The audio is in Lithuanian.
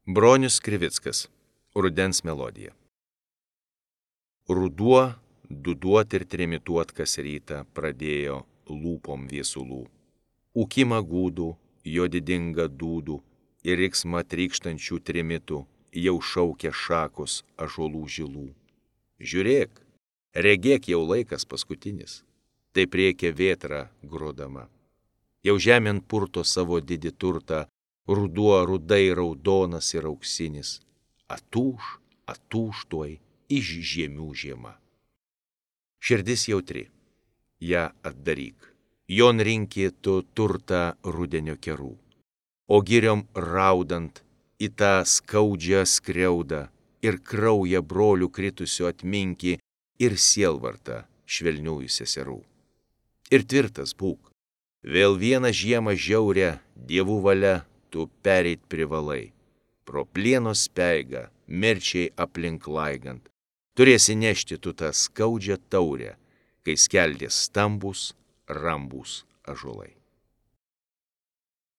Bronius Krivickas. Rudens melodija. Ruduo, duduot ir trimituot kas rytą pradėjo lūpom viesulų. Ūkimą gūdų, jo didingą dūdų ir riksmą trykštančių trimitų jau šaukia šakos ąžuolų žilų. Žiūrėk, regėk jau laikas paskutinis, taip rėkia vėtra grodama. Jau žemėn purto savo didį turtą, ruduo rudai raudonas ir auksinis, atūš tuoj iš žiemių žiema. Širdis jautri, ją atdaryk, jon rinki tu turtą rudenio kerų, o giriom raudant į tą skaudžią skriaudą ir kraują brolių kritusių atminki ir sielvartą švelniųjų seserų. Ir tvirtas būk, vėl vieną žiemą žiaurę dievų valia tu pereit privalai. Pro plieno speigą, mirčiai aplink laigant, turėsi nešti tu tą skaudžią taurę, kai skeldės stambus, rambūs ąžuolai.